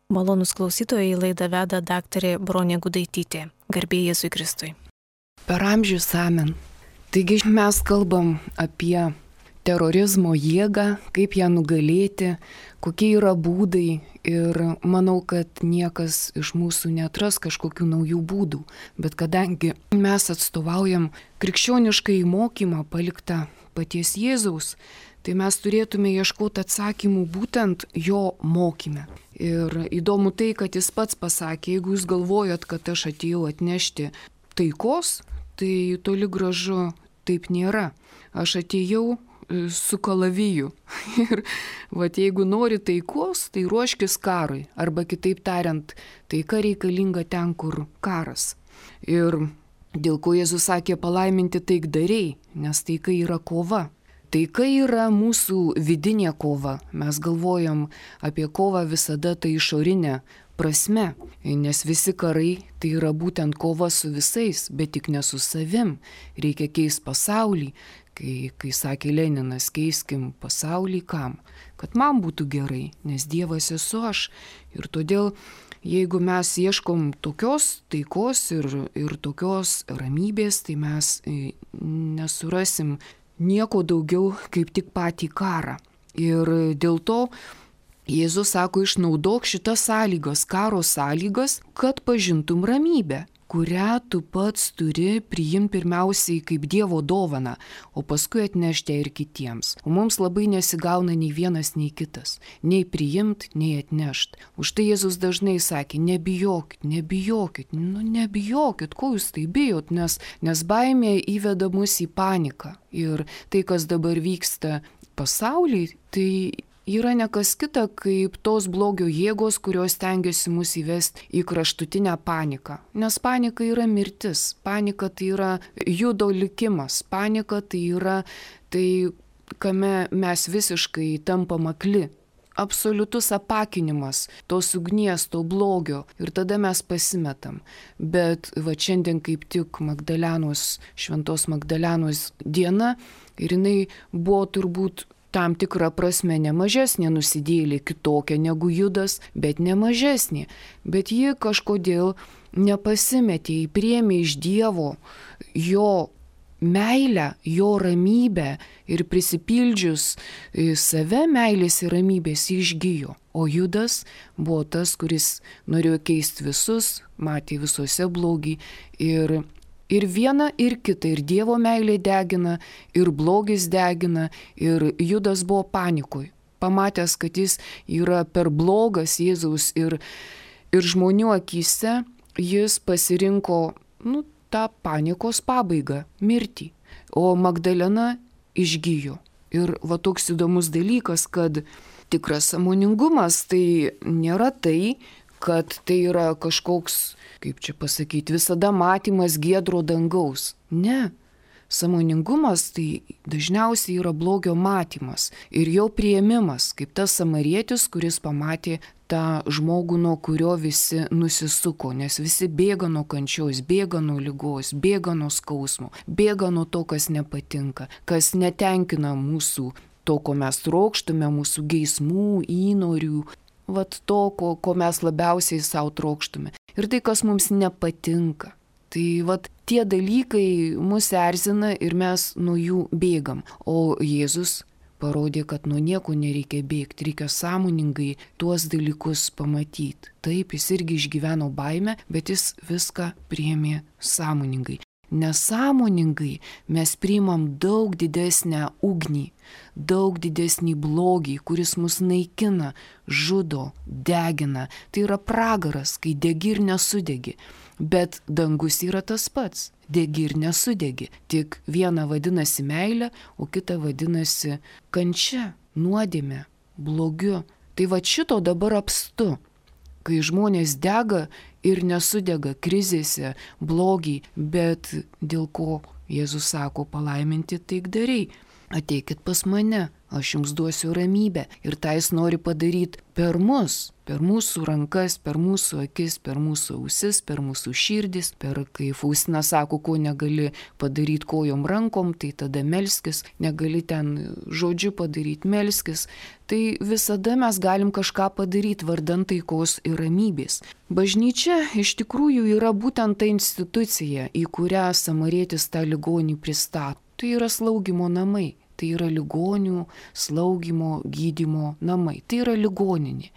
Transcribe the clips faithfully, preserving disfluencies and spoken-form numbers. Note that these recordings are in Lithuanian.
Malonūs klausytojai, laidą veda daktarė Bronė Gudaitytė. Garbė Jėzui Kristui. Per amžius amen. Taigi mes kalbam apie terorizmo jėgą, kaip ją nugalėti, kokie yra būdai ir manau, kad niekas iš mūsų neatras kažkokių naujų būdų. Bet kadangi mes atstovaujam krikščioniškai mokymą paliktą paties Jėzaus, tai mes turėtume ieškoti atsakymų būtent jo mokyme. Ir įdomu tai, kad jis pats pasakė, jeigu jūs galvojat, kad aš atėjau atnešti taikos, tai toli gražu taip nėra. Aš atėjau su kalaviju. Ir vat, jeigu nori taikos, tai ruoškis karui. Arba kitaip tariant, taika reikalinga ten, kur karas. Ir dėl ko Jėzus sakė palaiminti taikdariai, nes taika yra kova. Taika yra mūsų vidinė kova. Mes galvojam apie kovą visada tai išorinė prasme, nes visi karai tai yra būtent kova su visais, bet tik ne su savim. Reikia keisti pasaulį, kai, kai sakė Leninas, keiskim pasaulį kam? Kad man būtų gerai, nes Dievas esu aš. Ir todėl, jeigu mes ieškom tokios taikos ir, ir tokios ramybės, tai mes nesurasim nieko daugiau kaip tik patį karą. Ir dėl to Jėzus sako, išnaudok šitas sąlygas, karo sąlygas, kad pažintum ramybę, kurią tu pats turi priimti pirmiausiai kaip Dievo dovaną, o paskui atnešti ir kitiems. O mums labai nesigauna nei vienas, nei kitas. Nei priimti, nei atnešti. Už tai Jėzus dažnai sakė, nebijokit, nebijokit, nu nebijokit, ko jūs tai bijot, nes, nes baimė įveda mus į paniką. Ir tai, kas dabar vyksta pasaulyje, tai yra ne kas kita, kaip tos blogio jėgos, kurios tengiasi mus įvesti į kraštutinę paniką. Nes panika yra mirtis, panika tai yra judo likimas, panika tai yra tai, kame mes visiškai tampam akli. Absoliutus apakinimas tos ugnies, to blogio ir tada mes pasimetam. Bet va šiandien kaip tik Magdalenos, šventos Magdalenos diena ir jinai buvo turbūt tam tikrą prasme ne mažesnė nusidėjėlė, kitokia negu Judas, bet ne mažesnė. Bet ji kažkodėl nepasimetė, ji priėmė iš Dievo jo meilę, jo ramybę ir prisipildžius save meilės ir ramybės išgijo. O Judas buvo tas, kuris norėjo keisti visus, matė visuose blogį ir Ir viena, ir kita, ir Dievo meilė degina, ir blogis degina, ir Judas buvo panikoj. Pamatęs, kad jis yra per blogas Jėzaus ir, ir žmonių akyse, jis pasirinko nu, tą panikos pabaigą, mirtį. O Magdalena išgijo. Ir va toks įdomus dalykas, kad tikras sąmoningumas tai nėra tai, kad tai yra kažkoks, kaip čia pasakyti, visada matymas giedro dangaus. Ne. Sąmoningumas tai dažniausiai yra blogio matymas ir jo priėmimas, kaip tas samarietis, kuris pamatė tą žmogų, nuo kurio visi nusisuko, nes visi bėga nuo kančios, bėga nuo ligos, bėga nuo skausmo, bėga nuo to, kas nepatinka, kas netenkina mūsų, to, ko mes trokštume, mūsų geismų, įnorių, vat to, ko, ko mes labiausiai savo trokštume. Ir tai, kas mums nepatinka. Tai vat tie dalykai mus erzina ir mes nuo jų bėgam. O Jėzus parodė, kad nuo nieko nereikia bėgti, reikia sąmoningai tuos dalykus pamatyti. Taip, jis irgi išgyveno baimę, bet jis viską priėmė sąmoningai. Nesąmoningai mes priimam daug didesnę ugnį, daug didesnį blogį, kuris mus naikina, žudo, degina. Tai yra pragaras, kai degi ir nesudegi. Bet dangus yra tas pats, degi ir nesudegi. Tik viena vadinasi meilė, o kita vadinasi kančia, nuodėmė, blogiu. Tai va šito dabar apstu. Kai žmonės dega ir nesudega krizėse, blogį, bet dėl ko Jėzus sako palaiminti taikdariai. Ateikit pas mane, aš jums duosiu ramybę. Ir tą jis nori padaryti per mus, per mūsų rankas, per mūsų akis, per mūsų ausis, per mūsų širdis, per, kai Faustina sako, ko negali padaryti kojom rankom, tai tada melskis, negali ten žodžiu padaryti, melskis. Tai visada mes galim kažką padaryti vardan taikos ir ramybės. Bažnyčia iš tikrųjų yra būtent ta institucija, į kurią samarietis tą ligonį pristato. Tai yra slaugimo namai, tai yra ligonių slaugimo, gydymo namai, tai yra ligoninė.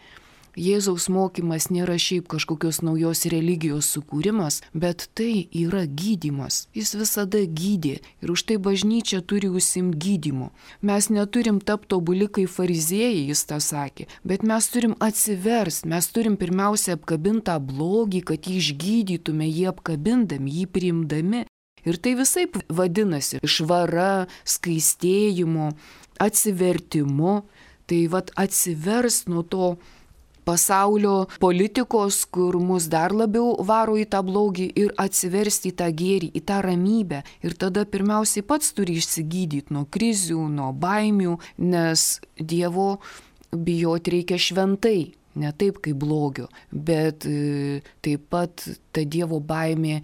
Jėzaus mokymas nėra šiaip kažkokios naujos religijos sukūrimas, bet tai yra gydymas. Jis visada gydė ir už tai bažnyčia turi užsiimti gydymu. Mes neturim tapti tobuli kaip fariziejai, jis tą sakė, bet mes turim atsiversti, mes turim pirmiausia apkabinti tą blogį, kad jį išgydytume, jį apkabindami, jį priimdami. Ir tai visaip vadinasi švara, skaistėjimu, atsivertimu. Tai vat atsivers nuo to pasaulio politikos, kur mus dar labiau varo į tą blogį ir atsiversti į tą gėrį, į tą ramybę. Ir tada pirmiausiai pats turi išsigydyti nuo krizių, nuo baimių, nes Dievo bijoti reikia šventai. Ne taip kaip blogio, bet e, taip pat ta Dievo baimė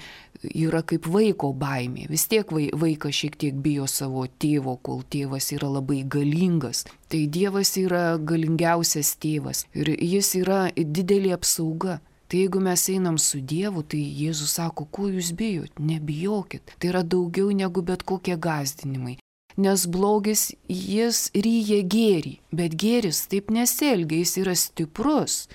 yra kaip vaiko baimė. Vis tiek vaikas šiek tiek bijo savo tėvo, kol tėvas yra labai galingas. Tai Dievas yra galingiausias tėvas ir jis yra didelė apsauga. Tai jeigu mes einam su Dievu, tai Jėzus sako, ko jūs bijot? Nebijokit. Tai yra daugiau negu bet kokie gąsdinimai. Nes blogis jis ryja gėrį, bet gėris taip nesielgia, jis yra stiprus.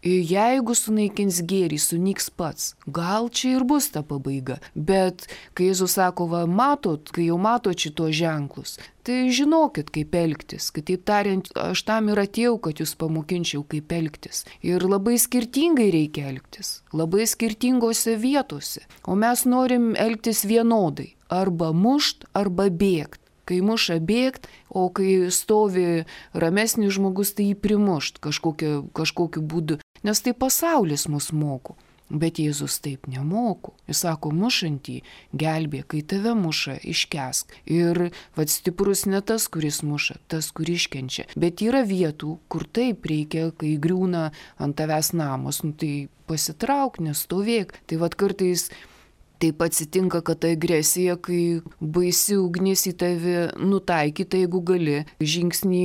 Ir jeigu sunaikins gėrį, sunyks pats. Gal čia ir bus ta pabaiga. Bet kai Jėzus sako, va, matot, kai jau matot šito ženklus, tai žinokit, kaip elgtis. Kitaip tariant, aš tam ir atėjau, kad jūs pamokinčiau, kaip elgtis. Ir labai skirtingai reikia elgtis. Labai skirtingose vietose. O mes norim elgtis vienodai. Arba mušt, arba bėgt. Kai muša bėgt, o kai stovi ramesnis žmogus, tai jį primušt kažkokiu, kažkokiu būdu. Nes tai pasaulis mus moko. Bet Jėzus taip nemoko. Jis sako, mušantį gelbė, kai tave muša, iškesk. Ir vad stiprus ne tas, kuris muša, tas, kuris iškenčia. Bet yra vietų, kur taip reikia, kai griūna ant tavęs namas, nu tai pasitrauk, nestovėk. Tai vad kartais taip atsitinka, kad ta agresija, kai baisi ugnis į tave nutaikyta, jeigu gali žingsnį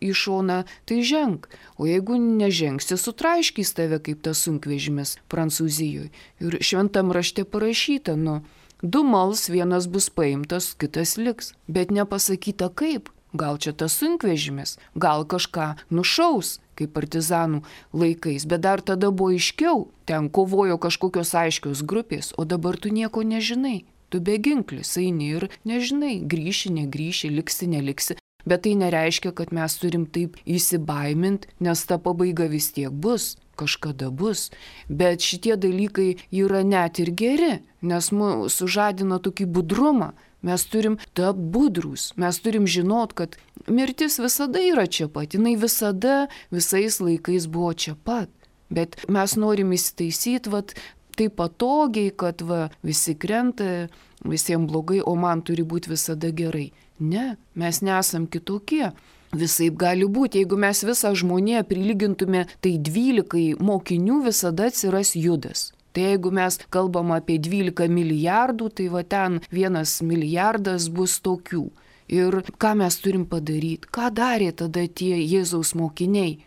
į šoną, tai ženk. O jeigu nežengsi, sutraiškys tave kaip tas sunkvežimis Prancūzijoje. Ir šventam rašte parašyta, nu, du mals, vienas bus paimtas, kitas liks. Bet nepasakyta kaip. Gal čia tas sunkvežimis, gal kažką nušaus, kaip partizanų laikais, bet dar tada buvo aiškiau, ten kovojo kažkokios aiškios grupės, o dabar tu nieko nežinai, tu beginklis, eini ir nežinai, grįši, negrįši, liksi, neliksi, bet tai nereiškia, kad mes turim taip įsibaiminti, nes ta pabaiga vis tiek bus, kažkada bus, bet šitie dalykai yra net ir geri, nes mūsų sužadina tokį budrumą. Mes turim tapti budrūs, mes turim žinot, kad mirtis visada yra čia pat, jinai visada, visais laikais buvo čia pat. Bet mes norim įsitaisyti, vat, taip patogiai, kad va, visi krenta, visiems blogai, o man turi būti visada gerai. Ne, mes nesam kitokie. Visaip gali būti, jeigu mes visą žmoniją prilygintume, tai dvylikai mokinių visada atsiras Judas. Tai jeigu mes kalbam apie dvylika milijardų, tai va ten vienas milijardas bus tokių. Ir ką mes turim padaryti? Ką darė tada tie Jėzaus mokiniai?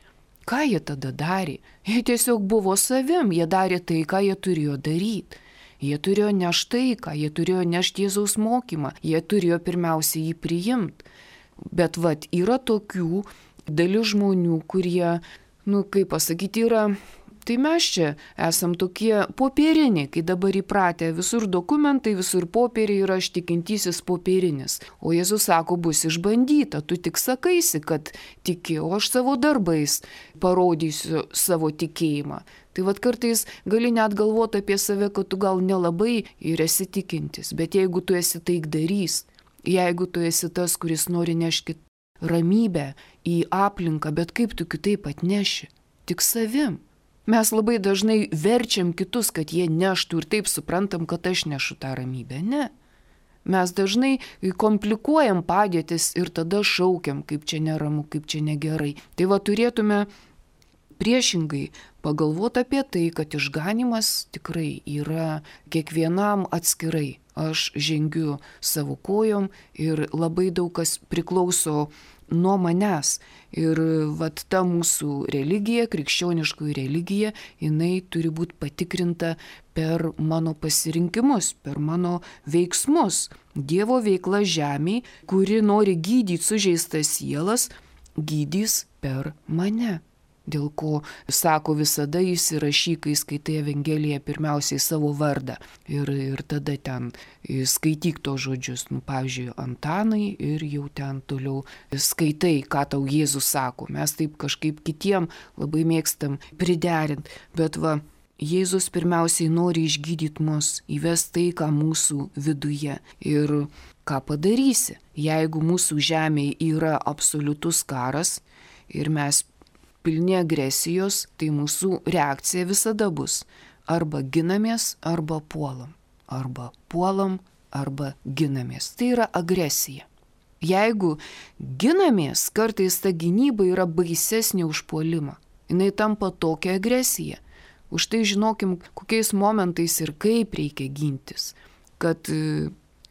Ką jie tada darė? Jie tiesiog buvo savim, jie darė tai, ką jie turėjo daryti. Jie turėjo nešti taiką, jie turėjo nešti Jėzaus mokymą, jie turėjo pirmiausia jį priimti. Bet vat yra tokių dalis žmonių, kurie, nu kaip pasakyti, yra... Tai mes čia esam tokie popieriniai, kai dabar įpratę visur dokumentai, visur popieriai ir aš tikintysis popierinis. O Jėzus sako, bus išbandyta, tu tik sakaisi, kad tiki, o aš savo darbais parodysiu savo tikėjimą. Tai vad kartais gali net galvoti apie save, kad tu gal nelabai ir esi tikintis, bet jeigu tu esi taikdarys, jeigu tu esi tas, kuris nori nešti ramybę į aplinką, bet kaip tu kitaip atneši? Tik savim. Mes labai dažnai verčiam kitus, kad jie neštų ir taip suprantam, kad aš nešu tą ramybę. Ne. Mes dažnai komplikuojam padėtis ir tada šaukiam, kaip čia neramu, kaip čia negerai. Tai va turėtume priešingai pagalvoti apie tai, kad išganimas tikrai yra kiekvienam atskirai. Aš žengiu savo kojom ir labai daug kas priklauso nuo manęs. Ir vat ta mūsų religija, krikščioniškoji religija, jinai turi būti patikrinta per mano pasirinkimus, per mano veiksmus. Dievo veikla žemėje, kuri nori gydyti sužeistas sielas, gydys per mane. Dėl ko, sako, visada įsirašyk, kai skaitai Evangeliją, pirmiausiai savo vardą. Ir, ir tada ten skaityk tos žodžius, nu, pavyzdžiui, Antanai, ir jau ten toliau skaitai, ką tau Jėzus sako. Mes taip kažkaip kitiem labai mėgstam priderinti. Bet va, Jėzus pirmiausiai nori išgydyti mus, įvesti tai, ką mūsų viduje. Ir ką padarysi, jeigu mūsų žemėje yra absoliutus karas ir mes pilni agresijos, tai mūsų reakcija visada bus arba ginamės, arba puolam. Arba puolam, arba ginamės. Tai yra agresija. Jeigu ginamės, kartais ta gynyba yra baisesnė už puolimą. Jinai tampa tokia agresija. Už tai žinokim, kokiais momentais ir kaip reikia gintis. Kad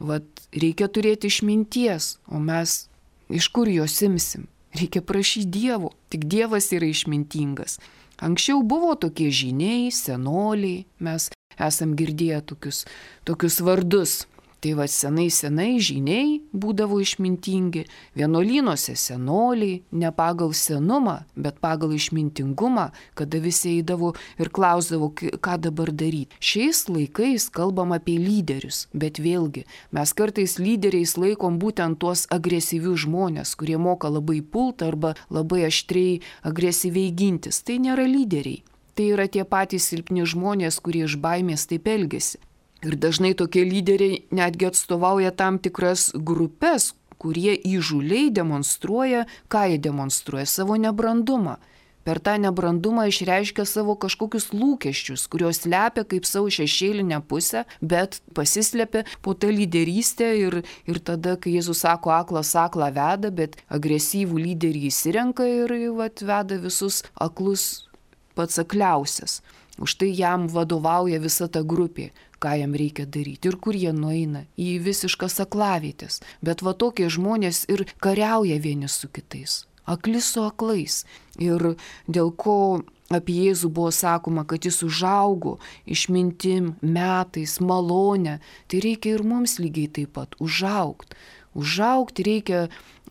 vat, reikia turėti išminties, o mes iš kur jos imsim? Reikia prašyti Dievo, tik Dievas yra išmintingas. Anksčiau buvo tokie žyniai, senoliai, mes esam girdėję tokius, tokius vardus. Tai va senai senai žyniai būdavo išmintingi, vienuolynuose senoliai, ne pagal senumą, bet pagal išmintingumą, kada visi eidavo ir klausdavo, ką dabar daryti. Šiais laikais kalbam apie lyderius, bet vėlgi mes kartais lyderiais laikom būtent tuos agresyvius žmonės, kurie moka labai pult arba labai aštriai agresyviai gintis. Tai nėra lyderiai, tai yra tie patys silpni žmonės, kurie iš baimės taip elgesi. Ir dažnai tokie lyderiai netgi atstovauja tam tikras grupės, kurie įžūliai demonstruoja, ką jie demonstruoja, savo nebrandumą. Per tą nebrandumą išreiškia savo kažkokius lūkesčius, kuriuos slepia kaip savo šešėlinę pusę, bet pasislepia po tą lyderystę ir, ir tada, kai Jėzus sako, aklas aklą veda, bet agresyvų lyderį įsirenka ir vat, veda visus aklus pats akliausias. Už tai jam vadovauja visa ta grupė, ką jam reikia daryti ir kur jie nueina į visiškas aklavietės. Bet va tokie žmonės ir kariauja vieni su kitais, akli su aklais. Ir dėl ko apie Jėzų buvo sakoma, kad jis užaugo išmintim, metais, malonę, tai reikia ir mums lygiai taip pat užaugti. Užaugti reikia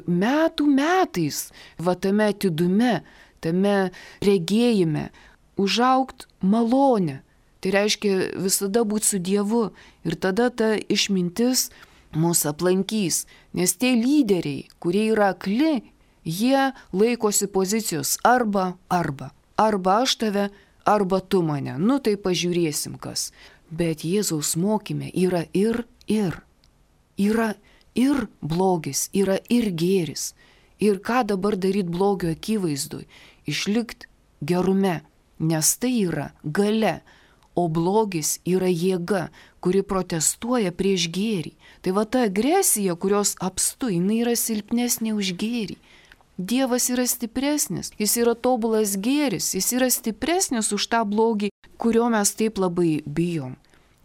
metų metais, va tame atidume, tame regėjime, užaugti malonę. Tai reiškia visada būti su Dievu ir tada ta išmintis mus aplankys. Nes tie lyderiai, kurie yra akli, jie laikosi pozicijos arba, arba. Arba aš tave, arba tu mane. Nu tai pažiūrėsim kas. Bet Jėzaus mokyme yra ir, ir. Yra ir blogis, yra ir gėris. Ir ką dabar daryti blogio akivaizdui? Išlikti gerume. Nes tai yra galia, o blogis yra jėga, kuri protestuoja prieš gėrį. Tai va ta agresija, kurios apstu, jinai yra silpnesnė už gėrį. Dievas yra stipresnis, jis yra tobulas gėris, jis yra stipresnis už tą blogį, kurio mes taip labai bijom.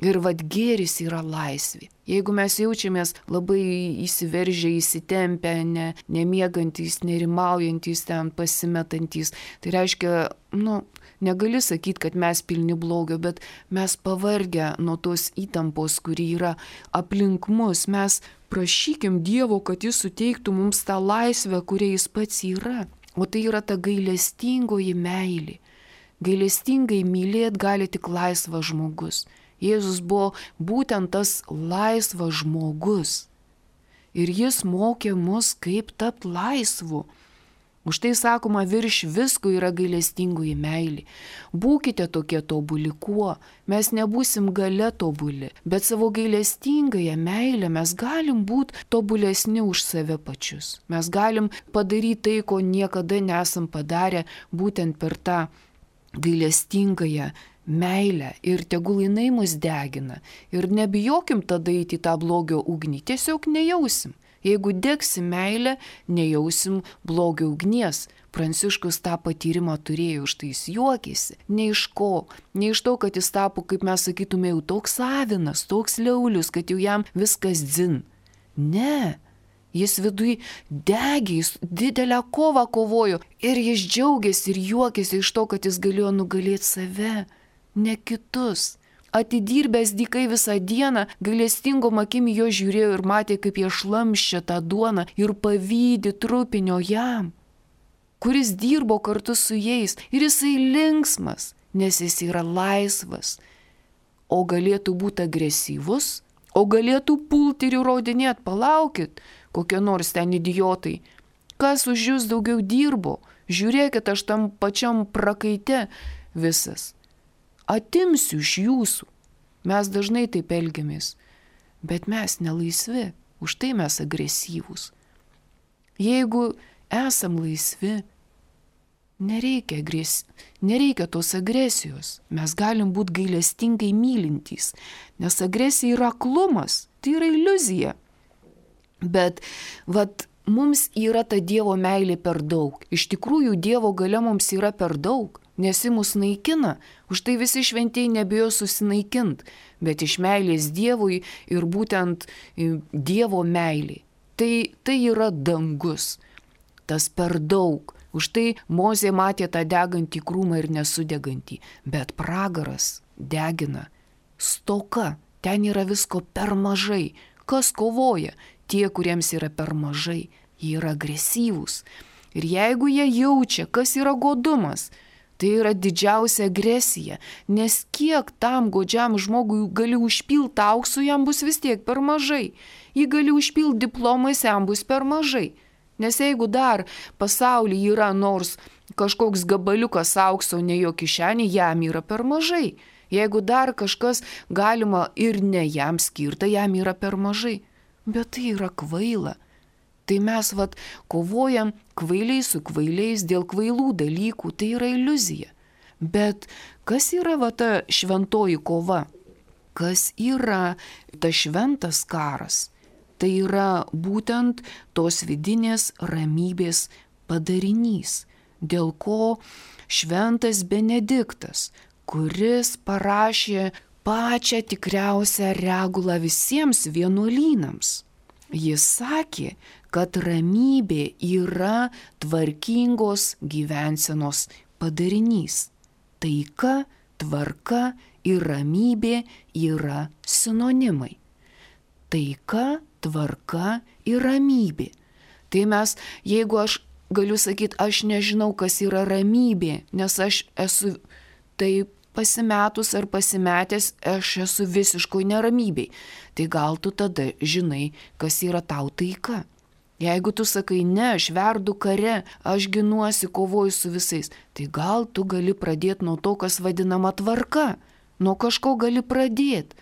Ir vad gėris yra laisvė. Jeigu mes jaučiamės labai įsiveržę, įsitempę, ne, nemiegantys, nerimaujantis, ten pasimetantys, tai reiškia, nu, negali sakyti, kad mes pilni blogio, bet mes pavargę nuo tos įtampos, kuri yra aplink mus. Mes prašykim Dievo, kad jis suteiktų mums tą laisvę, kuria jis pats yra. O tai yra ta gailestingoji meilė. Gailestingai mylėt gali tik laisvas žmogus. Jėzus buvo būtent tas laisvas žmogus. Ir jis mokė mus, kaip tapti laisvu. Už tai sakoma, virš visko yra gailestingoji meilė. Būkite tokie tobuli kuo, mes nebūsim gale tobuli, bet savo gailestingąją meilę mes galim būti tobulesni už save pačius. Mes galim padaryti tai, ko niekada nesam padarę, būtent per tą gailestingąją meilę ir tegul jinai mus degina. Ir nebijokim tada eiti į tą blogio ugnį, tiesiog nejausim. Jeigu degsim meilę, nejausim blogio ugnies. Pranciškus tą patyrimą turėjo, už tai jis juokėsi. Ne iš ko, ne iš to, kad jis tapo, kaip mes sakytume, jau toks savinas, toks liaulius, kad jau jam viskas dzin. Ne. Jis vidui degė, jis didelę kovą kovojo ir jis džiaugiasi ir juokėsi iš to, kad jis galėjo nugalėti save, ne kitus. Atidirbęs dykai visą dieną, gailestingom akim jo žiūrėjo ir matė, kaip jie šlamščia tą duoną ir pavydi trupinio jam, kuris dirbo kartu su jais. Ir jisai linksmas, nes jis yra laisvas. O galėtų būti agresyvus, o galėtų pulti ir įrodinėti, palaukit, kokie nors ten idiotai. Kas už jūs daugiau dirbo? Žiūrėkit, aš tam pačiam prakaite visas. Atimsiu iš jūsų. Mes dažnai taip elgiamės, bet mes nelaisvi, už tai mes agresyvūs. Jeigu esam laisvi, nereikia, agres... nereikia tos agresijos. Mes galim būti gailestingai mylintys, nes agresija yra aklumas, tai yra iliuzija. Bet vat, mums yra ta Dievo meilė per daug. Iš tikrųjų, Dievo galia mums yra per daug. Nes jis mus naikina, už tai visi šventieji nebijo susinaikint, bet iš meilės Dievui ir būtent Dievo meilė. Tai, tai yra dangus, tas per daug. Už tai Mozė matė tą degantį krūmą ir nesudegantį, bet pragaras degina, stoka, ten yra visko per mažai. Kas kovoja? Tie, kuriems yra per mažai, jie yra agresyvūs. Ir jeigu jie jaučia, kas yra godumas, tai yra didžiausia agresija, nes kiek tam godžiam žmogui gali užpilti auksų, jam bus vis tiek per mažai. Jį gali užpilti diplomais, jam bus per mažai. Nes jeigu dar pasaulyje yra nors kažkoks gabaliukas aukso ne jo kišenė, jam yra per mažai. Jeigu dar kažkas galima ir ne jam skirta, jam yra per mažai. Bet tai yra kvaila. Tai mes vat kovojam kvailiai su kvailiais dėl kvailų dalykų, tai yra iliuzija. Bet kas yra va ta šventoji kova? Kas yra ta šventas karas? Tai yra būtent tos vidinės ramybės padarinys, dėl ko šventas Benediktas, kuris parašė pačią tikriausią regulą visiems vienuolynams. Jis sakė, kad ramybė yra tvarkingos gyvensenos padarinys. Taika, tvarka ir ramybė yra sinonimai. Taika, tvarka ir ramybė. Tai mes, jeigu aš galiu sakyti, aš nežinau, kas yra ramybė, nes aš esu taip pasimetus ar pasimetęs, aš esu visiškoj neramybėj. Tai gal tu tada žinai, kas yra tau taika. Jeigu tu sakai, ne, aš verdu kare, aš ginuosi, kovoju su visais, tai gal tu gali pradėti nuo to, kas vadinama tvarka. Nuo kažko gali pradėti.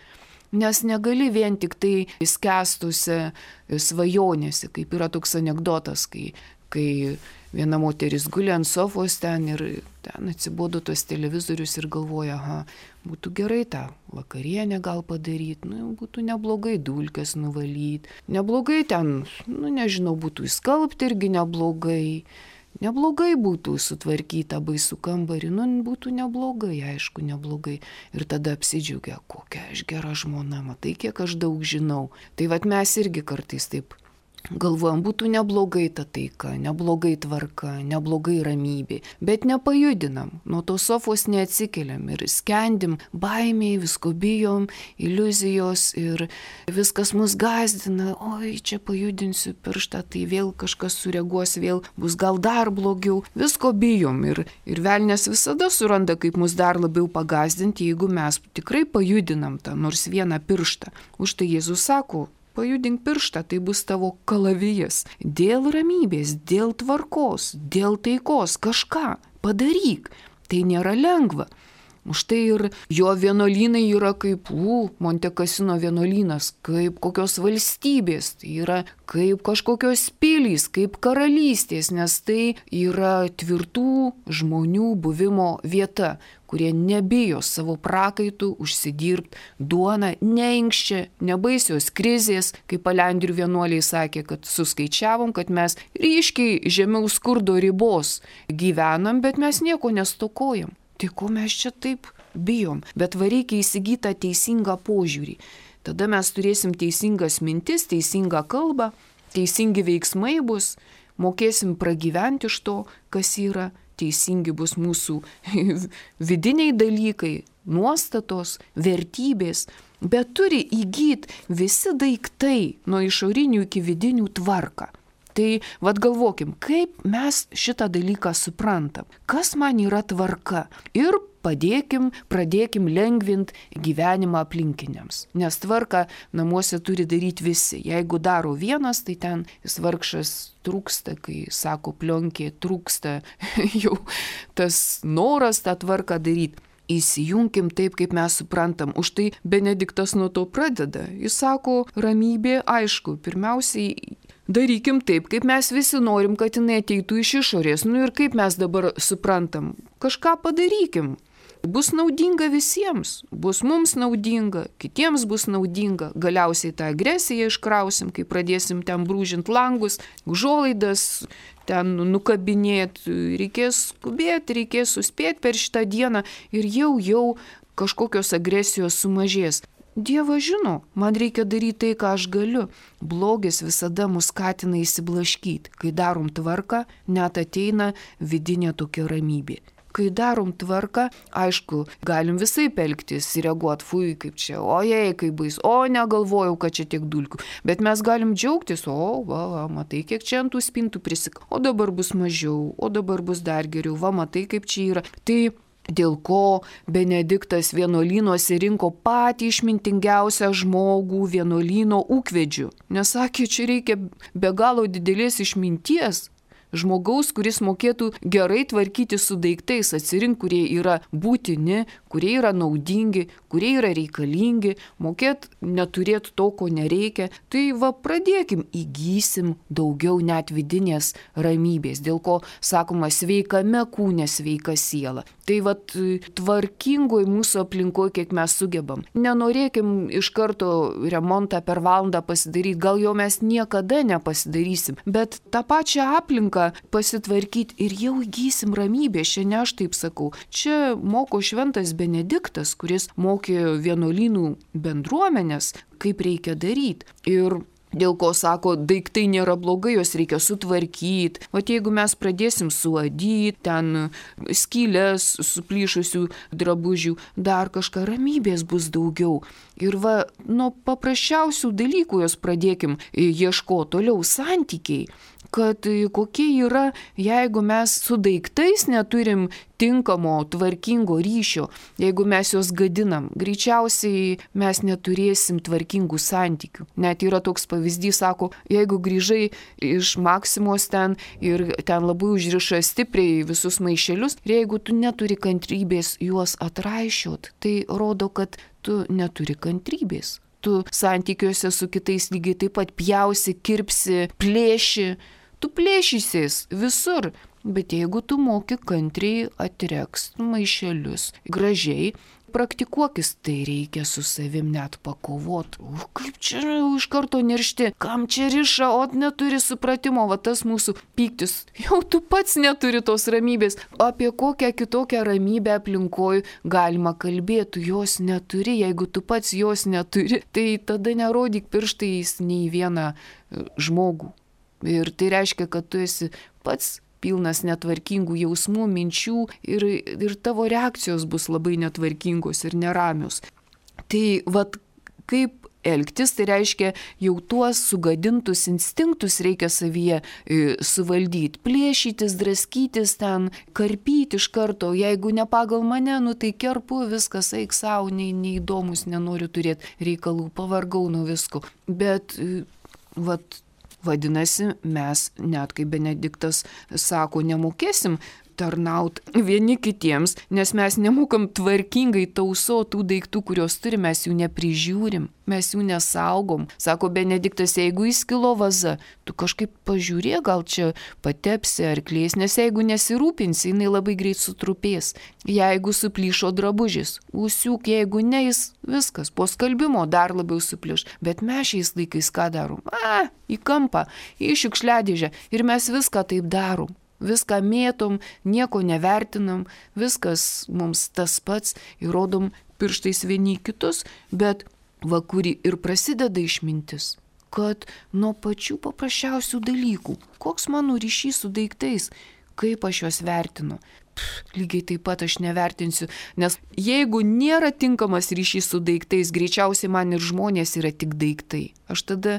Nes negali vien tik tai skęstusi svajonėse, kaip yra toks anekdotas, kai, kai viena moteris guli ant sofos ten ir ten atsibodo tos televizorius ir galvoja, aha, būtų gerai tą vakarienę gal padaryti, nu, būtų neblogai dulkes nuvalyti, neblogai ten, nu, nežinau, būtų įskalbti irgi neblogai, neblogai būtų sutvarkyta baisų kambarį, nu, būtų neblogai, aišku, neblogai. Ir tada apsidžiaugia, kokia aš gera žmona, matai, kiek aš daug žinau. Tai vat mes irgi kartais taip galvojam, būtų neblogai ta taika, neblogai tvarka, neblogai ramybė, bet nepajudinam, nuo tos sofos neatsikeliam ir skendim baimiai, visko bijom, iliuzijos ir viskas mus gąsdina, oi, čia pajudinsiu pirštą, tai vėl kažkas sureaguos, vėl bus gal dar blogiau, visko bijom ir, ir velnias visada suranda, kaip mus dar labiau pagąsdinti, jeigu mes tikrai pajudinam tą nors vieną pirštą. Už tai Jėzus sako, pajudink pirštą, tai bus tavo kalavijas. Dėl ramybės, dėl tvarkos, dėl taikos, kažką padaryk. Tai nėra lengva. Štai ir jo vienuolynai yra kaip, u, Monte Cassino vienuolynas, kaip kokios valstybės, tai yra kaip kažkokios pilys, kaip karalystės, nes tai yra tvirtų žmonių buvimo vieta, kurie nebijo savo prakaitų užsidirbti duoną, neinkščia, nebaisios krizės, kaip Palendrių vienuoliai sakė, kad suskaičiavom, kad mes ryškiai žemiau skurdo ribos gyvenam, bet mes nieko nestokojam. Tai ko mes čia taip bijom? Bet va reikia įsigyti teisingą požiūrį. Tada mes turėsim teisingas mintis, teisingą kalbą, teisingi veiksmai bus, mokėsim pragyventi iš to, kas yra, teisingi bus mūsų vidiniai dalykai, nuostatos, vertybės, bet turi įgyti visi daiktai nuo išorinių iki vidinių tvarką. Tai vad galvokim, kaip mes šitą dalyką suprantam, kas man yra tvarka ir padėkim, pradėkim lengvinti gyvenimą aplinkiniams. Nes tvarką namuose turi daryti visi. Jeigu daro vienas, tai ten jis vargšas trūksta, kai sako plionkė, trūksta jau tas noras tą tvarką daryti. Įsijunkim taip, kaip mes suprantam. Už tai Benediktas nuo to pradeda. Jis sako, ramybė, aišku, pirmiausiai darykim taip, kaip mes visi norim, kad jinai ateitų iš išorės. Nu ir kaip mes dabar suprantam, kažką padarykim. Bus naudinga visiems, bus mums naudinga, kitiems bus naudinga. Galiausiai tą agresiją iškrausim, kai pradėsim ten brūžint langus, užuolaidas, ten nukabinėti. Reikės skubėti, reikės suspėti per šitą dieną ir jau jau kažkokios agresijos sumažės. Dievas žino, man reikia daryti tai, ką aš galiu. Blogis visada mus skatina įsiblaškyti. Kai darom tvarką, net ateina vidinė tokia ramybė. Kai darom tvarką, aišku, galim visai pelktis, reaguoti, fui, kaip čia, ojei, kaip bais, o negalvojau, kad čia tiek dulkių. Bet mes galim džiaugtis, o, va, va, matai, kiek čia ant tų spintų prisik, o dabar bus mažiau, o dabar bus dar geriau, va, matai, kaip čia yra. Tai dėl ko Benediktas vienuolynuose rinko patį išmintingiausią žmogų vienuolyno ūkvedžių. Nes sakė, čia reikia be galo didelės išminties. Žmogaus, kuris mokėtų gerai tvarkyti su daiktais, atsirinkti, kurie yra būtini, kurie yra naudingi, kurie yra reikalingi, mokėt neturėti to, ko nereikia. Tai va pradėkim, įgysim daugiau net vidinės ramybės, dėl ko sakoma sveikame kūne sveika siela. Tai va tvarkingoj mūsų aplinkoje, kiek mes sugebam. Nenorėkim iš karto remontą per valandą pasidaryti, gal jo mes niekada nepasidarysim, bet tą pačią aplinką pasitvarkyti ir jau įgysim ramybę. Šiandien aš taip sakau. Čia moko šventas Benediktas, kuris mokė vienuolynų bendruomenės, kaip reikia daryti. Ir dėl ko sako, daiktai nėra blogai, juos reikia sutvarkyti. O jeigu mes pradėsim suadyti, ten skylės, suplyšusių drabužių, dar kažką, ramybės bus daugiau. Ir va, nuo paprasčiausių dalykų jos pradėkim ieškoti toliau santykiai. Kad kokie yra, jeigu mes su daiktais neturim tinkamo, tvarkingo ryšio, jeigu mes juos gadinam, greičiausiai mes neturėsim tvarkingų santykių. Net yra toks pavyzdys, sako, jeigu grįžai iš Maksimos ten ir ten labai užriša stipriai visus maišelius, ir jeigu tu neturi kantrybės juos atraišiot, tai rodo, kad tu neturi kantrybės. Tu santykiuose su kitais lygiai taip pat pjausi, kirpsi, plėši. Tu plėšysies visur, bet jeigu tu moki kantriai atrekst maišelius gražiai, praktikuokis, tai reikia su savim net pakovot. O kaip čia iš karto niršti, kam čia riša, o neturi supratimo, va tas mūsų pyktis. Jau tu pats neturi tos ramybės. Apie kokią kitokią ramybę aplinkoj galima kalbėti, tu jos neturi. Jeigu tu pats jos neturi, tai tada nerodyk pirštais nei vieną žmogų. Ir tai reiškia, kad tu esi pats pilnas netvarkingų jausmų, minčių ir, ir tavo reakcijos bus labai netvarkingos ir neramios. Tai vat kaip elgtis, tai reiškia jau tuos sugadintus instinktus reikia savyje e, suvaldyti. Plėšytis, draskytis ten, karpyti iš karto. Jeigu ne pagal mane, nu tai kerpu, viskas eik savo, nei, neįdomus, nenoriu turėti reikalų, pavargau nuo visko. Bet e, vat vadinasi, mes, net kaip Benediktas sako, nemokėsim tarnauti vieni kitiems, nes mes nemokam tvarkingai tausoti tų daiktų, kuriuos turime, mes jų neprižiūrim, mes jų nesaugom. Sako Benediktas, jeigu įskilo vaza, tu kažkaip pažiūrė, gal čia patepsi ar klės, nes jeigu nesirūpinsi, jinai labai greit sutrupės. Jeigu suplyšo drabužis, užsiūk, jeigu ne, jis viskas, po skalbimo dar labiau suplyš. Bet mes šiais laikais ką darom? A, į kampą, į šiukšliadėžę ir mes viską taip darom. Viską mėtom, nieko nevertinam, viskas mums tas pats, įrodom pirštais vieni kitus, bet va kuri ir prasideda išmintis, kad nuo pačių paprasčiausių dalykų, koks mano ryšys su daiktais, kaip aš juos vertinu. Pff, lygiai taip pat aš nevertinsiu, nes jeigu nėra tinkamas ryšys su daiktais, greičiausiai man ir žmonės yra tik daiktai. Aš tada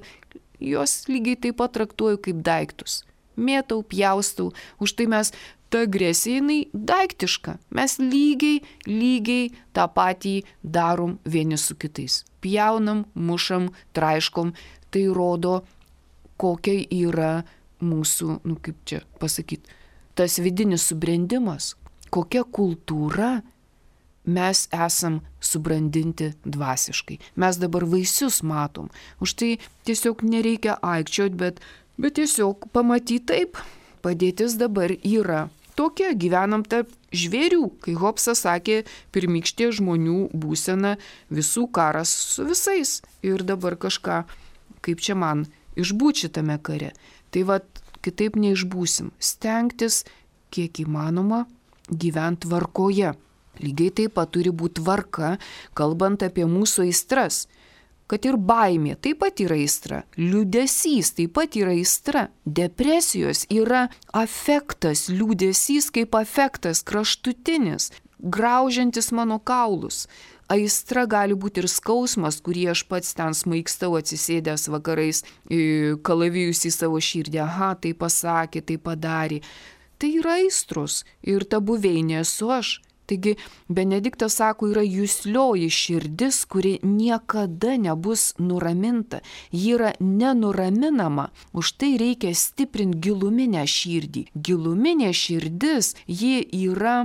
juos lygiai taip pat traktuoju kaip daiktus. Mėtau, pjaustau, už tai mes ta agresija, jinai daiktiška. Mes lygiai, lygiai tą patį darom vieni su kitais. Pjaunam, mušam, traiškom, tai rodo, kokia yra mūsų, nu kaip čia pasakyti, tas vidinis subrendimas, kokia kultūra mes esam subrandinti dvasiškai. Mes dabar vaisius matom, už tai tiesiog nereikia aikčiot, bet Bet tiesiog pamatyti taip, padėtis dabar yra tokia, gyvenam tarp žvėrių, kai Hobsas sakė, pirmykštė žmonių būsena, visų karas su visais. Ir dabar kažką, kaip čia man, išbūt šitame kare. Tai va, kitaip neišbūsim. Stengtis, kiek įmanoma, gyventi tvarkoje. Lygiai taip pat turi būti tvarka, kalbant apie mūsų aistras. Kad ir baimė taip pat yra aistra, liūdesys taip pat yra aistra, depresijos yra afektas, liūdesys kaip afektas, kraštutinis, graužiantis mano kaulus. Aistra gali būti ir skausmas, kurį aš pats ten smaigstau atsisėdęs vakarais, kalavijus į savo širdį, aha, tai pasakė, tai padarė. Tai yra aistros ir ta buveinė esu aš. Taigi Benediktas sako, yra juslioji širdis, kuri niekada nebus nuraminta. Ji yra nenuraminama, už tai reikia stiprinti giluminę širdį. Giluminė širdis, ji yra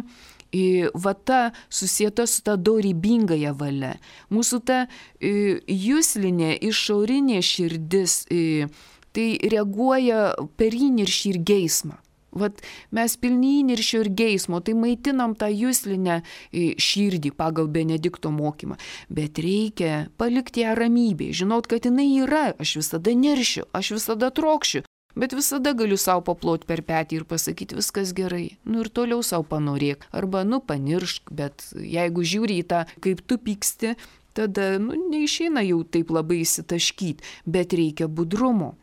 va ta susieta su ta dorybingąja valia. Mūsų ta juslinė, išorinė širdis, tai reaguoja per įniršį ir geismą. Vat mes pilni įniršio ir geismo, tai maitinam tą juslinę širdį pagal Benedikto mokymą. Bet reikia palikti ją ramybėje, žinot, kad jinai yra, aš visada neršiu, aš visada trokšiu, bet visada galiu savo paploti per petį ir pasakyti, viskas gerai. Nu ir toliau savo panorėk, arba nu paniršk, bet jeigu žiūri į tą, kaip tu pyksti, tada nu, neišeina jau taip labai įsitaškyti, bet reikia budrumo.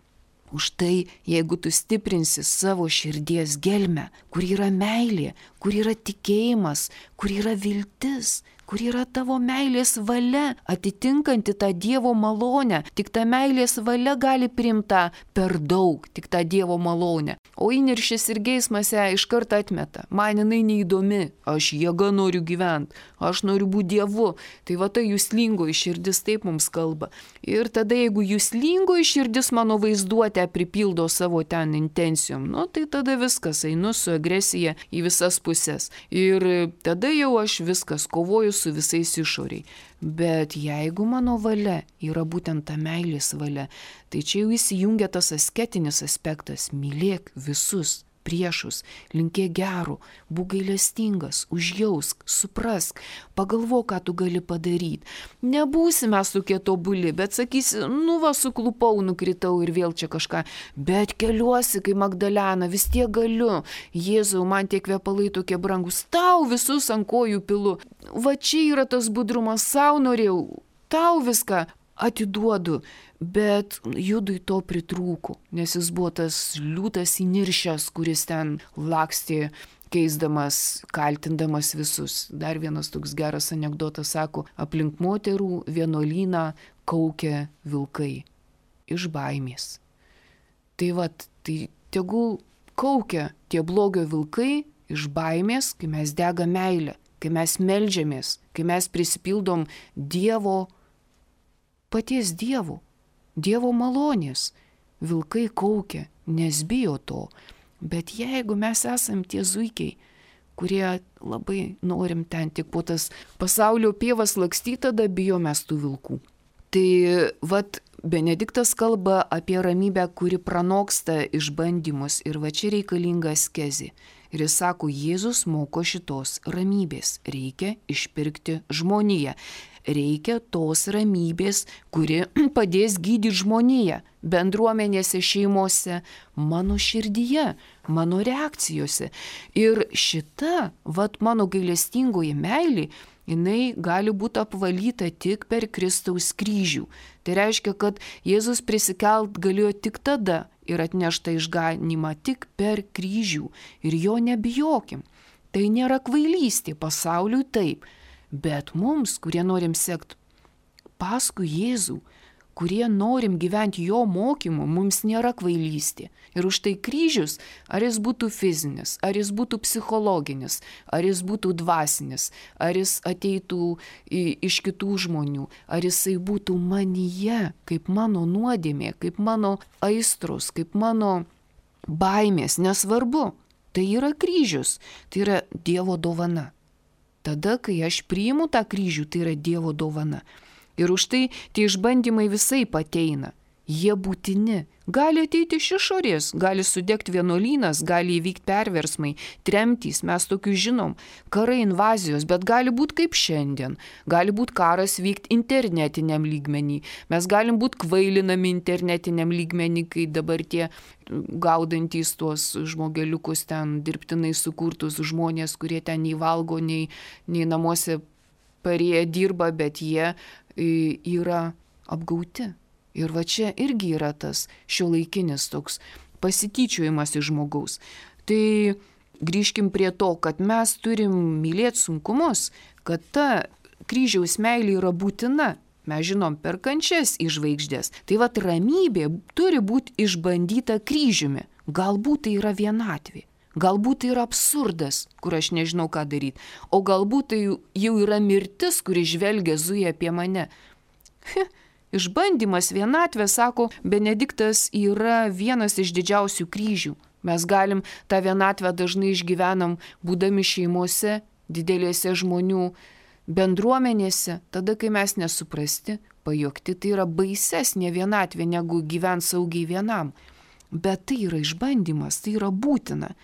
Už tai, jeigu tu stiprinsi savo širdies gelmę, kur yra meilė, kur yra tikėjimas, kur yra viltis, kur yra tavo meilės valia, atitinkanti tą Dievo malonę, tik ta meilės valia gali priimta per daug, tik tą Dievo malonę. O įniršis ir geismas ją iš karto atmeta. Man jinai neįdomi, aš jėga noriu gyventi, aš noriu būti Dievu. Tai va ta juslingoji širdis taip mums kalba. Ir tada, jeigu juslingoji širdis mano vaizduotę pripildo savo ten intencijom, nu tai tada viskas, einu su agresija į visas pusės. Ir tada jau aš viskas kovoju su visais išoriai. Bet jeigu mano valia yra būtent ta meilės valia, tai čia jau įsijungia tas asketinis aspektas. Mylėk visus priešus, linkėk gero, būk gailestingas, užjausk, suprask, pagalvok, ką tu gali padaryti. Nebūsime tokie tobuli, bet sakysi, nu va, suklupau, nukritau ir vėl čia kažką, bet keliuosi, kai Magdalena, vis tiek galiu. Jėzau, man tie kvepalai tokie brangus, tau visus ant kojų pilu. Va čia yra tas budrumas, savo norėjau, tau viską atiduodu. Bet Judui to pritrūko, nes jis buvo tas liūtas įniršęs, kuris ten lakstė, keisdamas, kaltindamas visus. Dar vienas toks geras anekdotas sako, aplink moterų vienuolyną kaukia vilkai iš baimės. Tai vat, tai tegul kaukia tie blogio vilkai iš baimės, kai mes dega meilę, kai mes meldžiamės, kai mes prisipildom Dievo, paties Dievo. Dievo malonės. Vilkai kaukia, nes bijo to. Bet jeigu mes esam tie zuikiai, kurie labai norim ten tik po tas pasaulio pievas lakstyti, tada bijom mes tų vilkų. Tai vat Benediktas kalba apie ramybę, kuri pranoksta išbandymus ir va čia reikalinga askezė. Ir jis sako, Jėzus moko šitos ramybės. Reikia išpirkti žmoniją. Reikia tos ramybės, kuri padės gydyti žmoniją bendruomenėse, šeimose, mano širdyje, mano reakcijose. Ir šita, vat mano gailestingoji meilė, jinai gali būti apvalyta tik per Kristaus kryžių. Tai reiškia, kad Jėzus prisikelt galėjo tik tada ir atnešta išganymą tik per kryžių. Ir jo nebijokim. Tai nėra kvailystė, pasauliui taip. Bet mums, kurie norim sekti paskui Jėzų, kurie norim gyventi jo mokymu, mums nėra kvailystė. Ir už tai kryžius, ar jis būtų fizinis, ar jis būtų psichologinis, ar jis būtų dvasinis, ar jis ateitų iš kitų žmonių, ar jisai būtų manyje, kaip mano nuodėmė, kaip mano aistros, kaip mano baimės, nesvarbu. Tai yra kryžius, tai yra Dievo dovana. Tada, kai aš priimu tą kryžių, tai yra Dievo dovana. Ir už tai tie išbandymai visai ateina. Jie būtini. Gali ateiti iš išorės, gali sudegti vienuolynas, gali įvykti perversmai, tremtys, mes tokių žinom, karai, invazijos, bet gali būti kaip šiandien. Gali būti karas vykti internetiniam lygmenį. Mes galim būti kvailinami internetiniam lygmenį, kai dabar tie gaudantys tuos žmogeliukus ten dirbtinai sukurtus žmonės, kurie ten nei valgo, nei, nei namuose parėję dirba, bet jie yra apgauti. Ir va čia irgi yra tas šiuolaikinis toks pasityčiojimas iš žmogaus. Tai grįžkim prie to, kad mes turim mylėti sunkumus, kad ta kryžiaus meilė yra būtina. Mes žinom per kančias į žvaigždės. Tai va ramybė turi būti išbandyta kryžiumi. Galbūt tai yra vienatvė. Galbūt tai yra absurdas, kur aš nežinau, ką daryti. O galbūt tai jau yra mirtis, kuri žvelgia zuja apie mane. Išbandymas, vienatvė, sako Benediktas, yra vienas iš didžiausių kryžių. Mes galim tą vienatvę dažnai išgyvenam, būdami šeimose, didelėse žmonių bendruomenėse, tada, kai mes nesuprasti, pajokti, tai yra baisesnė vienatvė, negu gyvent saugiai vienam. Bet tai yra išbandymas, tai yra būtina.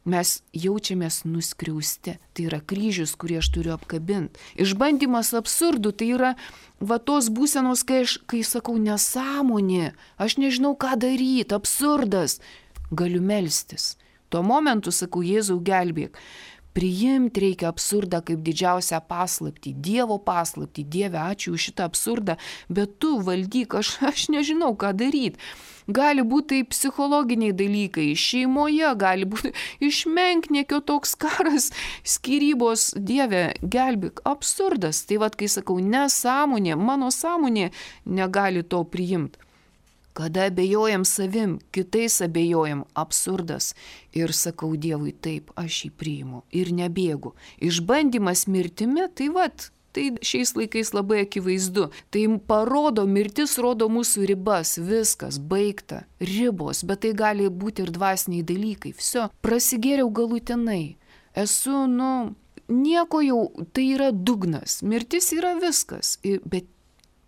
Mes jaučiamės nuskriausti. Tai yra kryžius, kurį aš turiu apkabinti. Išbandymas absurdų, tai yra va tos būsenos, kai aš, kai sakau nesąmonė, aš nežinau, ką daryti, absurdas. Galiu melstis. Tuo momentu sakau, Jėzau, gelbėk. Priimti reikia absurdą kaip didžiausią paslaptį, Dievo paslaptį. Dieve, ačiū už šitą absurdą, bet tu valdyk, aš, aš nežinau, ką daryti. Gali būti tai psichologiniai dalykai, šeimoje gali būti išmenkniekio toks karas, skyrybos, Dieve, gelbėk, absurdas. Tai vad, kai sakau, nesąmonė, mano sąmonė negali to priimti. Kada abejojam savim, kitais abejojam, absurdas. Ir sakau Dievui, taip, aš jį priimu ir nebėgu. Išbandymas mirtimi, tai vat, tai šiais laikais labai akivaizdu. Tai parodo, mirtis rodo mūsų ribas, viskas, baigta, ribos, bet tai gali būti ir dvasiniai dalykai. Viso, prasigėriau galutinai. Esu, nu, nieko jau, tai yra dugnas, mirtis yra viskas, bet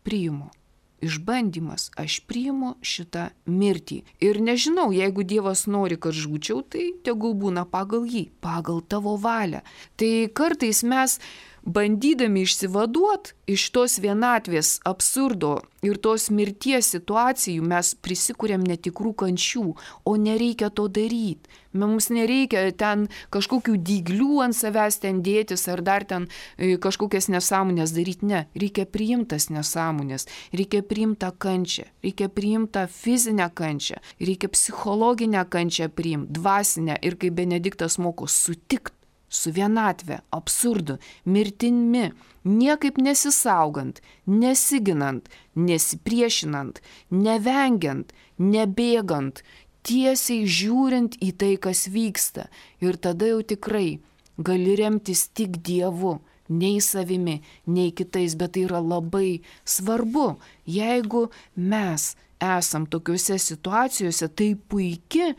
priimu. Išbandymas, aš priimu šitą mirtį. Ir nežinau, jeigu Dievas nori, kad žūčiau, tai tegul būna pagal jį, pagal tavo valią. Tai kartais mes, bandydami išsivaduoti iš tos vienatvės absurdo ir tos mirties situacijų, mes prisikuriam netikrų kančių, o nereikia to daryti. Mums nereikia ten kažkokių dyglių ant savęs ten dėtis ar dar ten kažkokias nesąmonės daryti. Ne, reikia priimtas nesąmonės, reikia priimtą kančią, reikia priimtą fizinę kančią, reikia psichologinę kančią priimti, dvasinę ir kaip Benediktas moko, sutikti su vienatve, absurdu, mirtimi, niekaip nesisaugant, nesiginant, nesipriešinant, nevengiant, nebėgant, tiesiai žiūrint į tai, kas vyksta. Ir tada jau tikrai gali remtis tik Dievu, nei savimi, nei kitais, bet tai yra labai svarbu. Jeigu mes esam tokiuose situacijose, tai puiki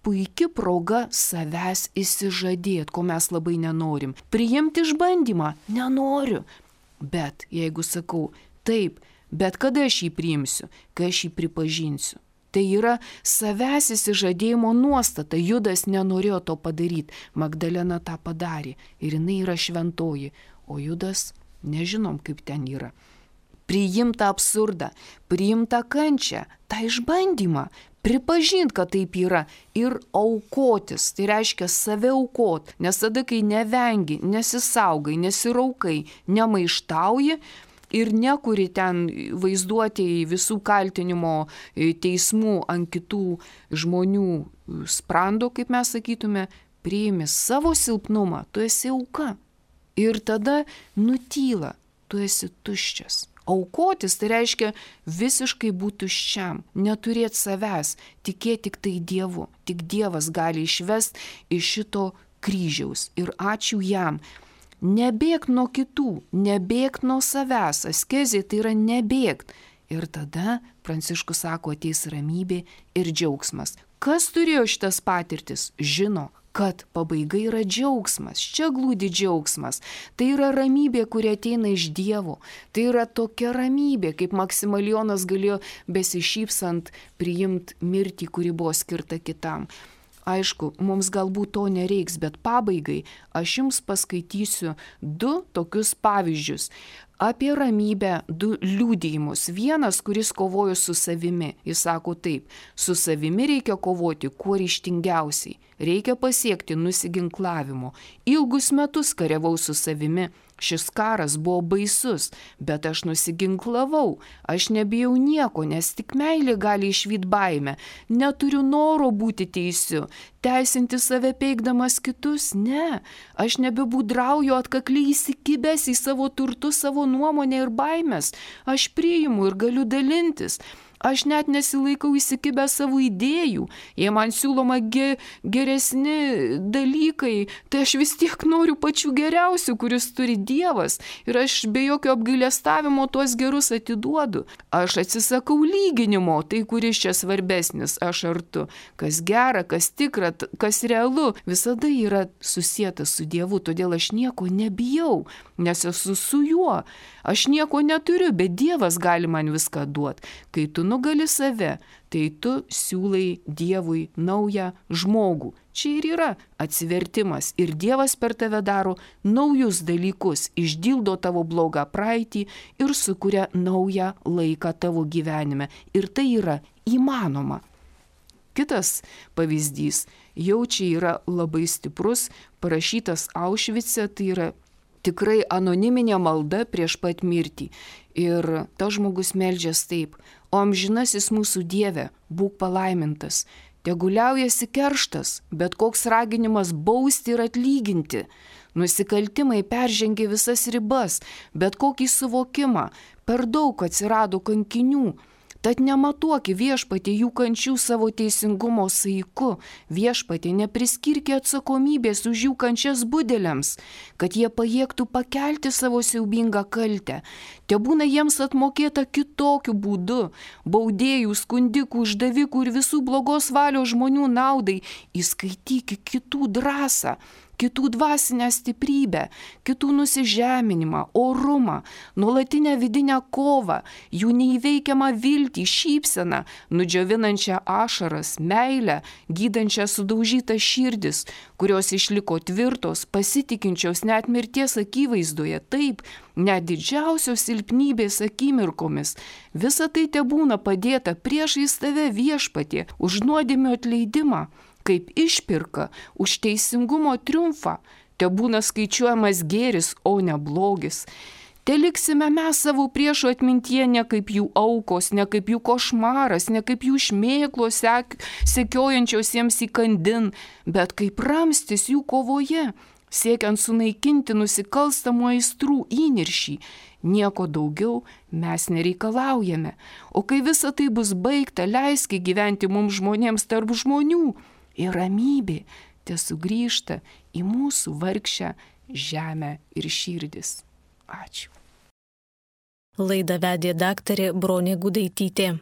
puiki proga savęs įsižadėti, ko mes labai nenorim. Priimti išbandymą nenoriu. Bet jeigu sakau, taip, bet kada aš jį priimsiu, kai aš jį pripažinsiu. Tai yra savęs įsižadėjimo nuostata. Judas nenorėjo to padaryti. Magdalena tą padarė ir jinai yra šventoji. O Judas, nežinom kaip ten yra. Priimta absurdą, priimta kančią, tą išbandymą, pripažinti, kad taip yra ir aukotis. Tai reiškia save aukot, nes tada, kai nevengi, nesisaugai, nesiraukai, nemaištauji, ir nekuri ten vaizduotėjai visų kaltinimo teismų ant kitų žmonių sprando, kaip mes sakytume, priimi savo silpnumą, tu esi auka. Ir tada nutyla, tu esi tuščias. Aukotis tai reiškia visiškai būti tuščiam, neturėti savęs, tikėti tik tai Dievu. Tik Dievas gali išvesti iš šito kryžiaus ir ačiū jam. Nebėgt nuo kitų, nebėgt nuo savęs, askezė tai yra nebėgt. Ir tada Pranciškus sako, ateis ramybė ir džiaugsmas. Kas turėjo šitas patirtis, žino, kad pabaiga yra džiaugsmas, čia glūdi džiaugsmas. Tai yra ramybė, kuri ateina iš Dievo. Tai yra tokia ramybė, kaip Maksimilijonas galėjo besišypsant priimti mirtį, kuri buvo skirta kitam. Aišku, mums galbūt to nereiks, bet pabaigai aš jums paskaitysiu du tokius pavyzdžius. Apie ramybę du liudijimus. Vienas, kuris kovojo su savimi. Jis sako taip, su savimi reikia kovoti kuo ryžtingiausiai. Reikia pasiekti nusiginklavimo. Ilgus metus kariavau su savimi. Šis karas buvo baisus, bet aš nusiginklavau. Aš nebijau nieko, nes tik meilė gali išvyt baimę. Neturiu noro būti teisiu. Teisinti save peikdamas kitus? Ne. Aš nebebūdrauju atkakliai įsikibęs į savo turtus, savo nuomonę ir baimės. Aš priimu ir galiu dalintis. Aš net nesilaikau įsikibę savo idėjų. Jei man siūloma ge, geresni dalykai, tai aš vis tiek noriu pačių geriausių, kuris turi Dievas. Ir aš be jokio apgailestavimo tuos gerus atiduodu. Aš atsisakau lyginimo, tai kuris čia svarbesnis, aš ar tu. Kas gera, kas tikra, kas realu, visada yra susieta su Dievu. Todėl aš nieko nebijau, nes esu su juo. Aš nieko neturiu, bet Dievas gali man viską duoti. Kai tu nugali save, tai tu siūlai Dievui naują žmogų. Čia ir yra atsivertimas. Ir Dievas per tave daro naujus dalykus, išdildo tavo blogą praeitį ir sukuria naują laiką tavo gyvenime. Ir tai yra įmanoma. Kitas pavyzdys jau čia yra labai stiprus, parašytas Aušvice, tai yra tikrai anoniminė malda prieš pat mirtį. Ir tas žmogus meldžias taip: o amžinasis mūsų Dieve, būk palaimintas. Teguliaujasi kerštas, bet koks raginimas bausti ir atlyginti. Nusikaltimai peržengė visas ribas, bet kokį suvokimą. Per daug atsirado kankinių. Tad nematuoki Viešpatie jų kančių savo teisingumo saiku. Viešpatie nepriskirki atsakomybės už jų kančias budeliams, kad jie pajėgtų pakelti savo siaubingą kaltę. Tebūna jiems atmokėta kitokiu būdu. Baudėjų, skundikų, uždavikų ir visų blogos valios žmonių naudai įskaityki kitų drąsą, kitų dvasinę stiprybę, kitų nusižeminimą, orumą, nuolatinę vidinę kovą, jų neįveikiamą viltį, šypseną, nudžiovinančią ašaras, meilę, gydančią sudaužytas širdis, kurios išliko tvirtos, pasitikinčios net mirties akivaizdoje, taip, net didžiausios silpnybės akimirkomis. Visa tai tebūna padėta priešais tave, Viešpatie, už nuodėmių atleidimą, kaip išpirka už teisingumo triumfą. Tebūna skaičiuojamas gėris, o ne blogis. Teliksime mes savo priešų atmintyje ne kaip jų aukos, ne kaip jų košmaras, ne kaip jų šmėklos sek, sekiojančios jiems įkandin, bet kaip ramstis jų kovoje, siekiant sunaikinti nusikalstamų aistrų įniršį. Nieko daugiau mes nereikalaujame. O kai visa tai bus baigta, leiski gyventi mums žmonėms tarp žmonių. Ir ramybė tesugrįžta į mūsų vargšę žemę ir širdis. Ačiū. Laidą vedė daktarė Bronė Gudaitytė.